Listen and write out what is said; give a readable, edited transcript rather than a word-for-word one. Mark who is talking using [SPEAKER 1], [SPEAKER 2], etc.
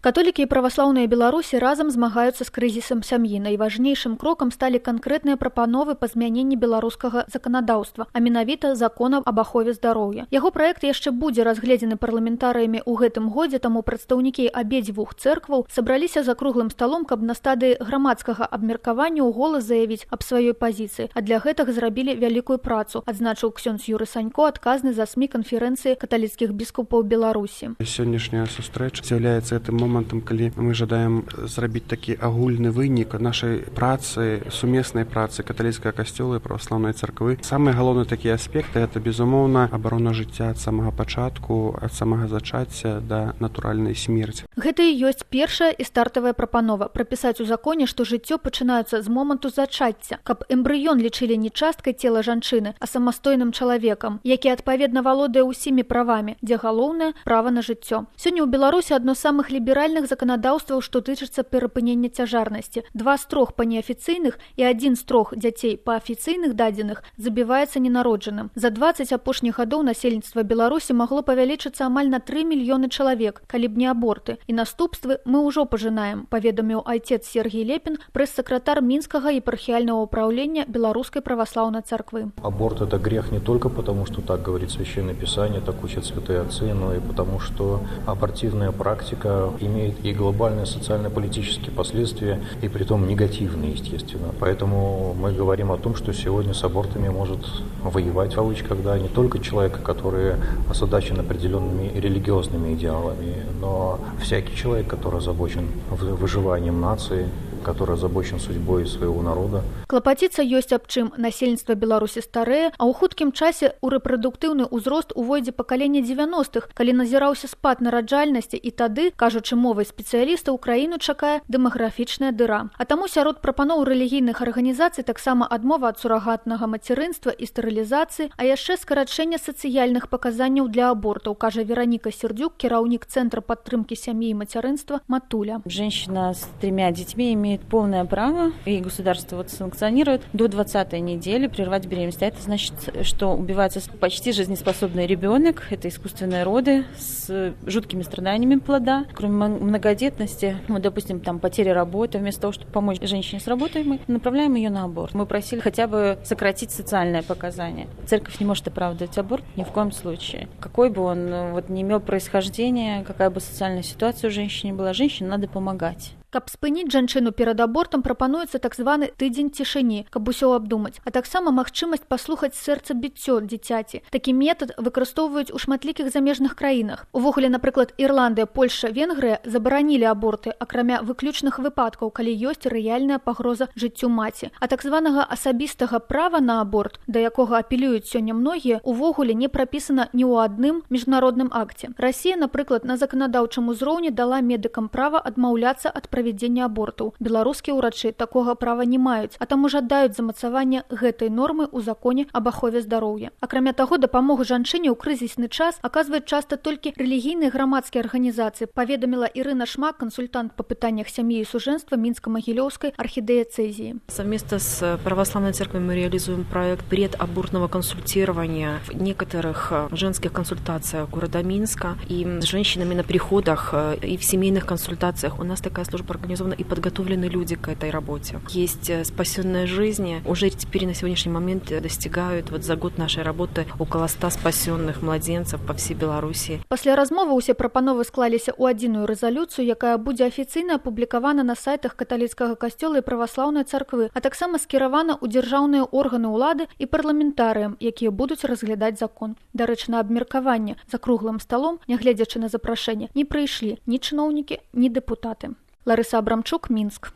[SPEAKER 1] Католікі і праваслаўныя Беларусі разам змагаюцца з крызісам сям'і. Найважнейшым крокам сталі канкрэтныя прапановы па змяненні беларускага заканадаўства, а менавіта закона аб ахове здароўя. Яго праект яшчэ будзе разгледзены парламентарыямі ў гэтым годзе, таму прадстаўнікі абедзвюх цэркваў сабраліся за круглым сталом, каб на стадыі грамадскага абмеркавання ў голас заявіць аб сваёй пазіцыі. А для гэтага зрабілі вялікую працу, адзначыў ксёндз Юры Санько, адказны за СМІ канферэнцыі каталіцкіх біскупаў Беларусі.
[SPEAKER 2] Сённяшняя сустрэча з'яўляецца гэтым момантам, калі мы жадаем зрабіць такі агульны вынік нашай працы, сумеснай працы каталіцкага касцёла і праваслаўнай царквы. Самыя галоўныя такія аспекты гэта, безумоўна, абарона жыцця ад самага пачатку, ад самага зачацця да натуральнай смерці.
[SPEAKER 1] Гэта і ёсць першая і стартавая прапанова прапісаць у законе, што жыццё пачынаецца з моманту зачацця, каб эмбрыён лічылі не часткай цела жанчыны, а самастойным чалавекам, які адпаведна валодае ўсімі правамі, дзе галоўнае права на жыццё. Сёння ў Беларусі адно з самых ліберальных заканадаўстваў, што тычыцца перапынення цяжарнасці. 2 з 3 па неафіцыйных і 1 з 3 дзяцей па афіцыйных дадзеных забіваецца ненароджаным. За 20 апошніх гадоў насельніцтва Беларусі магло павялічыцца амаль на 3 мільёны чалавек, калі б не аборты. І наступствы мы ўжо пажынаем, паведаміў айцец Сергій Лепін, прэс-сакратар Мінскага епархіяльнага ўпраўлення Беларускай праваслаўнай царквы.
[SPEAKER 3] Аборт – это грех не только потому, что так говорит Священное Писание, так учат святые отцы, но и потому, что абортивная практика имеет и глобальные социально-политические последствия, и притом негативные, естественно. Поэтому мы говорим о том, что сегодня с абортами может воевать, в кавычках, да, не только человек, который озадачен определенными религиозными идеалами, но всякий человек, который озабочен выживанием нации, который озабочен судьбой своего народа.
[SPEAKER 1] Клапаціцца ёсць аб чым. Насельніцтва Беларусі старэе, а ў хуткім часе ў рэпрадуктыўны ўзрост увойдзе пакаленне 90-х, калі назіраўся спад нараджальнасці, і тады, кажучы мовай спецыялістаў, краіну чакае дэмаграфічная дыра. А таму сярод прапаноў рэлігійных арганізацый таксама адмова ад сурагатнага мацярынства і стэрылізацыі, а яшчэ скарачэнне сацыяльных паказанняў для абортаў, кажа Вероніка Сердюк, кіраўнік Цэнтра падтрымкі сям'і і мацярынства «Матуля».
[SPEAKER 4] Женщина с 3 детьми имеет полное право, и государство санкционирует до 20-й недели прервать беременность. А это значит, что убивается почти жизнеспособный ребенок, это искусственные роды с жуткими страданиями плода. Кроме многодетности, допустим, там потеря работы, вместо того, чтобы помочь женщине с работой, мы направляем ее на аборт. Мы просили хотя бы сократить социальное показание. Церковь не может оправдывать аборт ни в коем случае. Какой бы он не имел происхождения, какая бы социальная ситуация у женщины была, женщине надо помогать.
[SPEAKER 1] Каб спыніць жанчыну перад абортам, прапануецца так званы тыдзень цішыні, каб усё абдумаць, а таксама магчымасць паслухаць сэрца-біццё дзіцяці. Такі метад выкарыстоўваюць у шматлікіх замежных краінах. Увогуле, напрыклад, Ірландыя, Польша, Венгрыя забаранілі аборты, акрамя выключных выпадкаў, калі ёсць рэальная пагроза жыццю маці. А так званага асабістага права на аборт, да якога апелююць сёння многія, увогуле не прапісана ні ў адным міжнародным акце. Расія, напрыклад, на заканадаўчым узроўні дала медыкам права адмаўляцца ад правядзення абортаў. Беларускія ўрачы такога права не маюць, а таму жадаюць замацавання гэтай нормы ў законе аб ахове здароўя. Акрамя таго, дапамогу жанчыне ў крызісны час аказваюць часта толькі рэлігійныя грамадскія арганізацыі, паведаміла Ірына Шмак, консультант па пытаннях сям'і і сужэнства Мінска-Магілёўскай архидиоцезии.
[SPEAKER 5] Совместно с Православной Церковью мы реализуем проект предабортного консультирования в некоторых женских консультациях города Минска и с женщинами на приходах и в семейных консультациях. У нас такая служба организована и подготовлены люди к этой работе. Есть спасенные жизни. Уже теперь на сегодняшний момент достигают за год нашей работы около 100 спасенных младенцев по всей Беларуси.
[SPEAKER 1] Пасля размовы ўсе прапановы склаліся ў адзіную рэзалюцыю, якая будзе афіцыйна апублікавана на сайтах каталіцкага касцёла і праваслаўнай царквы, а таксама скіравана ў дзяржаўныя органы ўлады і парламентарыям, якія будуць разглядаць закон. Дарэчы, на абмеркаванне за круглым сталом, нягледзячы на запрашэнне, не прыйшлі ні чыноўнікі, ні дэпутаты. Ларыса Абрамчук, Мінск.